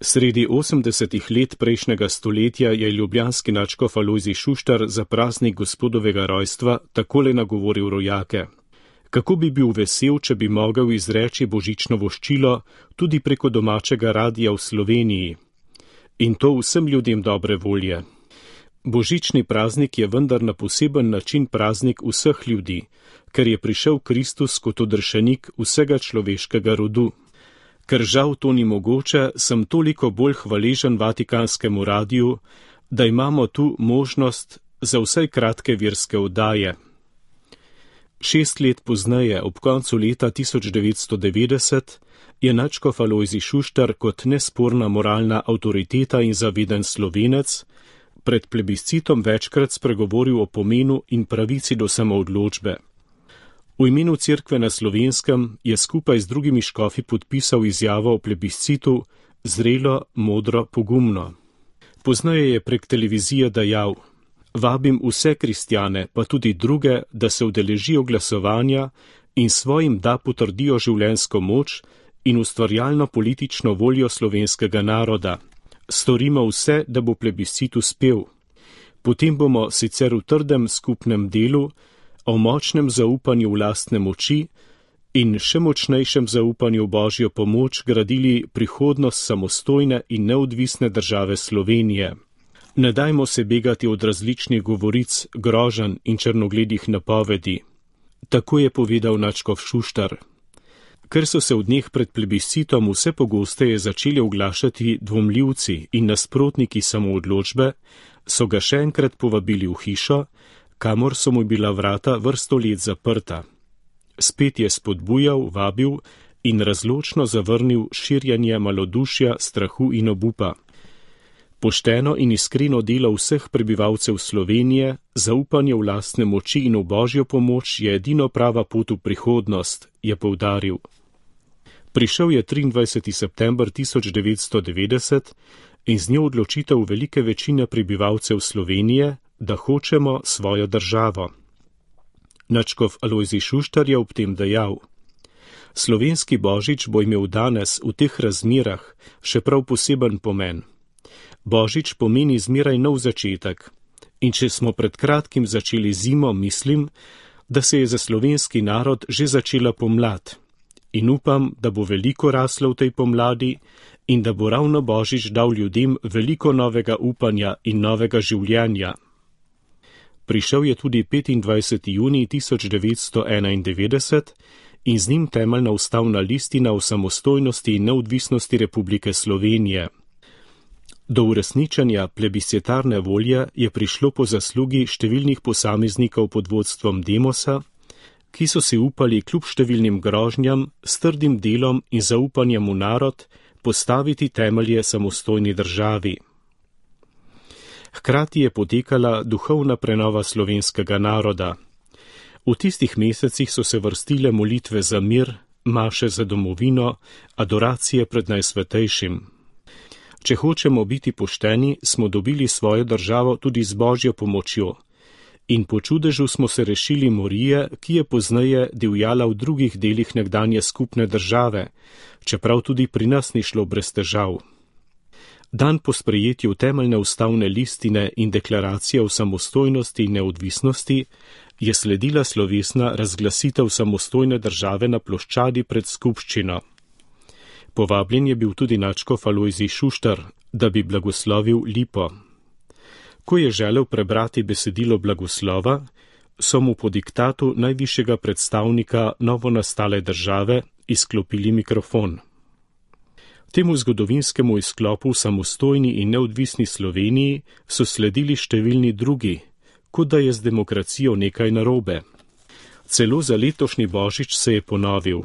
Sredi 80. let prejšnjega stoletja je ljubljanski nadškof Alojzij Šuštar za praznik gospodovega rojstva takole nagovoril rojake. Kako bi bil vesel, če bi mogel izreči božično voščilo tudi preko domačega radija v Sloveniji. In to vsem ljudem dobre volje. Božični praznik je vendar na poseben način praznik vseh ljudi, ker je prišel Kristus kot odrešenik vsega človeškega rodu. Ker žal to ni mogoče, sem toliko bolj hvaležen Vatikanskemu radiju, da imamo tu možnost za vsaj kratke verske oddaje. 6 let pozneje, ob koncu leta 1990, je nadškof Alojzij Šuštar kot nesporna moralna avtoriteta in zaveden Slovenec pred plebiscitom večkrat spregovoril o pomenu in pravici do samoodločbe. V imenu Cerkve na Slovenskem je skupaj z drugimi škofi podpisal izjavo o plebiscitu zrelo, modro, pogumno. Pozneje je prek televizije dejal: Vabim vse kristjane, pa tudi druge, da se udeležijo glasovanja in svojim da potrdijo življenjsko moč in ustvarjalno politično voljo slovenskega naroda. Storimo vse, da bo plebiscit uspel. Potem bomo sicer v trdem skupnem delu, o močnem zaupanju v lastne moči in še močnejšem zaupanju v Božjo pomoč gradili prihodnost samostojne in neodvisne države Slovenije. Ne dajmo se begati od različnih govoric, groženj in črnogledih napovedi. Tako je povedal nadškof Šuštar. Ker so se v dneh pred plebiscitom vse pogosteje začeli oglašati dvomljivci in nasprotniki samoodločbe, so ga še enkrat povabili v hišo, kamor so mu bila vrata vrsto let zaprta. Spet je spodbujal, vabil in razločno zavrnil širjanje malodušja, strahu in obupa. Pošteno in iskreno delo vseh prebivalcev Slovenije, zaupanje v lastne moči in v Božjo pomoč je edino prava pot v prihodnost, je poudaril. Prišel je 23. september 1990 in z njo odločitev velike večine prebivalcev Slovenije, da hočemo svojo državo. Nadškof Alojzij Šuštar je ob tem dejal: Slovenski božič bo imel danes v teh razmerah še prav poseben pomen. Božič pomeni zmeraj nov začetek in če smo pred kratkim začeli zimo, mislim, da se je za slovenski narod že začela pomlad in upam, da bo veliko raslo v tej pomladi in da bo ravno Božič dal ljudem veliko novega upanja in novega življenja. Prišel je tudi 25. junij 1991 in z njim temeljna ustavna listina o samostojnosti in neodvisnosti Republike Slovenije. Do uresničenja plebiscitarne volje je prišlo po zaslugi številnih posameznikov pod vodstvom Demosa, ki so si upali kljub številnim grožnjam, s trdim delom in zaupanjem v narod postaviti temelje samostojni državi. Hkrati je potekala duhovna prenova slovenskega naroda. V tistih mesecih so se vrstile molitve za mir, maše za domovino, adoracije pred Najsvetejšim. Če hočemo biti pošteni, smo dobili svojo državo tudi z Božjo pomočjo. In po čudežu smo se rešili morije, ki je pozneje divjala v drugih delih nekdanje skupne države, čeprav tudi pri nas ni šlo brez težav. Dan po sprejetju temeljne ustavne listine in deklaracije o samostojnosti in neodvisnosti je sledila slovesna razglasitev samostojne države na ploščadi pred skupščino. Povabljen je bil tudi nadškof Alojzij Šuštar, da bi blagoslovil lipo. Ko je želel prebrati besedilo blagoslova, so mu po diktatu najvišjega predstavnika novonastale države izklopili mikrofon. Temu zgodovinskemu izklopu v samostojni in neodvisni Sloveniji so sledili številni drugi, kot da je z demokracijo nekaj narobe. Celo za letošnji božič se je ponovil.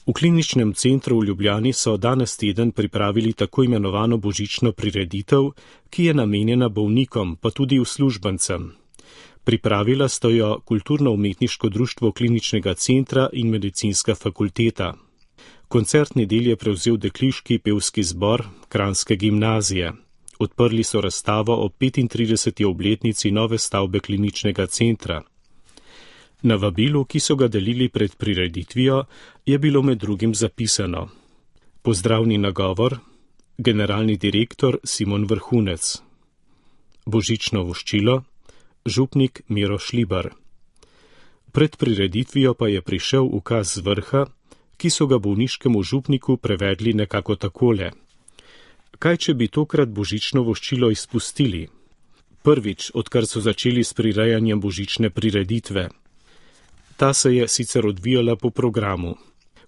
V kliničnem centru v Ljubljani so danes teden pripravili tako imenovano božično prireditev, ki je namenjena bolnikom, pa tudi uslužbencem. Pripravila sta jo Kulturno-umetniško društvo kliničnega centra in medicinska fakulteta. Koncertni del je prevzel dekliški pevski zbor Kranjske gimnazije. Odprli so razstavo o 35. obletnici nove stavbe kliničnega centra. Na vabilu, ki so ga delili pred prireditvijo, je bilo med drugim zapisano: Pozdravni nagovor, generalni direktor Simon Vrhunec. Božično voščilo, župnik Miro Šlibar. Pred prireditvijo pa je prišel ukaz z vrha, ki so ga bolniškemu župniku prevedli nekako takole. Kaj, če bi tokrat božično voščilo izpustili? Prvič, odkar so začeli s prirejanjem božične prireditve. Ta se je sicer odvijala po programu.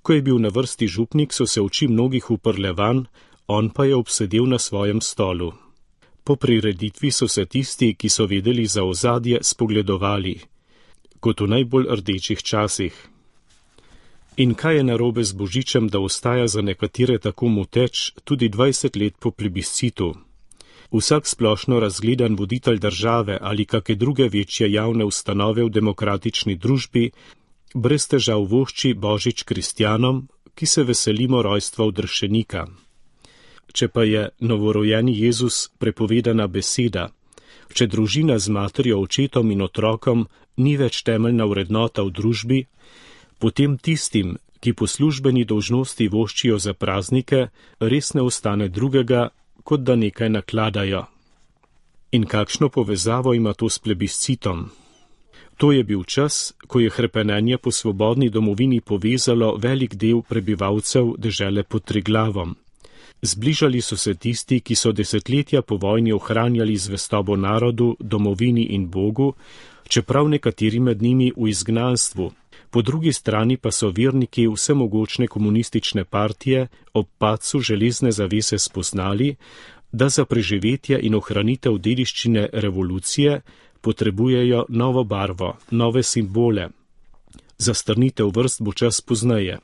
Ko je bil na vrsti župnik, so se oči mnogih uprle van, on pa je obsedel na svojem stolu. Po prireditvi so se tisti, ki so vedeli za ozadje, spogledovali, kot v najbolj rdečih časih. In kaj je narobe z božičem, da ostaja za nekatere tako moteč tudi 20 let po plebiscitu? Vsak splošno razgledan voditelj države ali kake druge večje javne ustanove v demokratični družbi brez težav vošči božič kristjanom, ki se veselimo rojstva odrešenika. Če pa je novorojeni Jezus prepovedana beseda, če družina z materjo, očetom in otrokom ni več temeljna vrednota v družbi, potem tistim, ki po službeni dolžnosti voščijo za praznike, res ne ostane drugega, kot da nekaj nakladajo. In kakšno povezavo ima to s plebiscitom? To je bil čas, ko je hrepenenje po svobodni domovini povezalo velik del prebivalcev dežele pod Triglavom. Zbližali so se tisti, ki so desetletja po vojni ohranjali zvestobo narodu, domovini in Bogu, čeprav nekateri med njimi v izgnanstvu. Po drugi strani pa so verniki vsemogočne komunistične partije ob padcu železne zavese spoznali, da za preživetje in ohranitev dediščine revolucije potrebujejo novo barvo, nove simbole. Za strnitev vrst bo čas pozneje.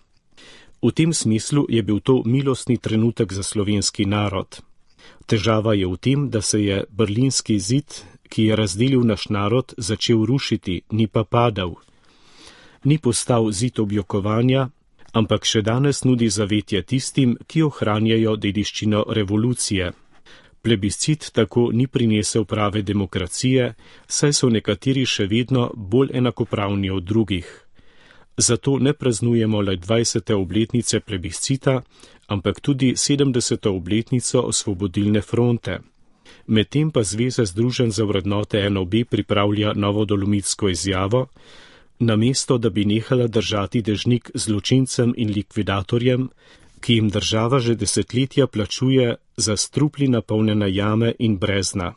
V tem smislu je bil to milostni trenutek za slovenski narod. Težava je v tem, da se je berlinski zid, ki je razdelil naš narod, začel rušiti, ni pa padal. Ni postal zid objokovanja, ampak še danes nudi zavetje tistim, ki ohranjajo dediščino revolucije. Plebiscit tako ni prinesel prave demokracije, saj so nekateri še vedno bolj enakopravni od drugih. Zato ne praznujemo le 20. obletnice plebiscita, ampak tudi 70. obletnico Osvobodilne fronte. Medtem pa Zveza združenj za vrednote NOB pripravlja novo dolomitsko izjavo, namesto da bi nehala držati dežnik zločincem in likvidatorjem, ki jim država že desetletja plačuje za strupli napolnjene jame in brezna.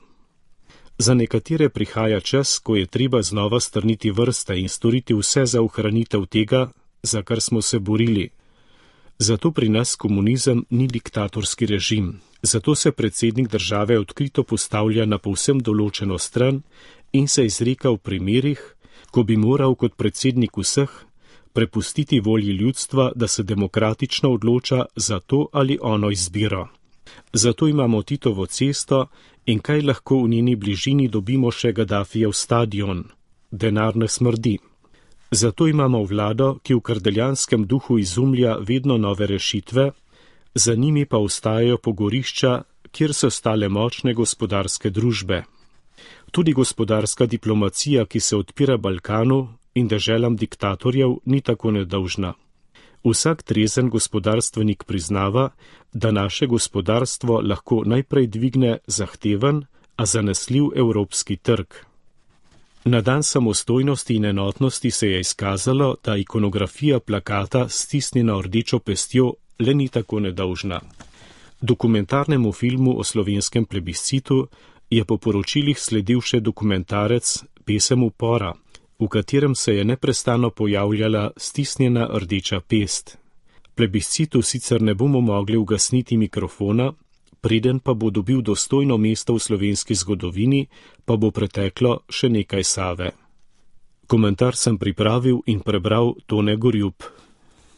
Za nekatere prihaja čas, ko je treba znova strniti vrste in storiti vse za ohranitev tega, za kar smo se borili. Zato pri nas komunizem ni diktatorski režim. Zato se predsednik države odkrito postavlja na povsem določeno stran in se izreka v primerih, ko bi moral kot predsednik vseh prepustiti volji ljudstva, da se demokratično odloča za to ali ono izbiro. Zato imamo Titovo cesto in kaj lahko v njeni bližini dobimo še Gaddafijev stadion. Denar ne smrdi. Zato imamo vlado, ki v kardeljanskem duhu izumlja vedno nove rešitve, za njimi pa ostajajo pogorišča, kjer so stale močne gospodarske družbe. Tudi gospodarska diplomacija, ki se odpira Balkanu in deželam diktatorjev, ni tako nedolžna. Vsak trezen gospodarstvenik priznava, da naše gospodarstvo lahko najprej dvigne zahteven, a zanesljiv evropski trg. Na dan samostojnosti in enotnosti se je izkazalo, da ikonografija plakata stisnjena rdečo pestjo le ni tako nedolžna. Dokumentarnemu filmu o slovenskem plebiscitu je po poročilih sledil še dokumentarec Pesem upora, v katerem se je neprestano pojavljala stisnjena rdeča pest. Plebiscitu sicer ne bomo mogli ugasniti mikrofona, preden pa bo dobil dostojno mesto v slovenski zgodovini, pa bo preteklo še nekaj Save. Komentar sem pripravil in prebral Tone Gorjup.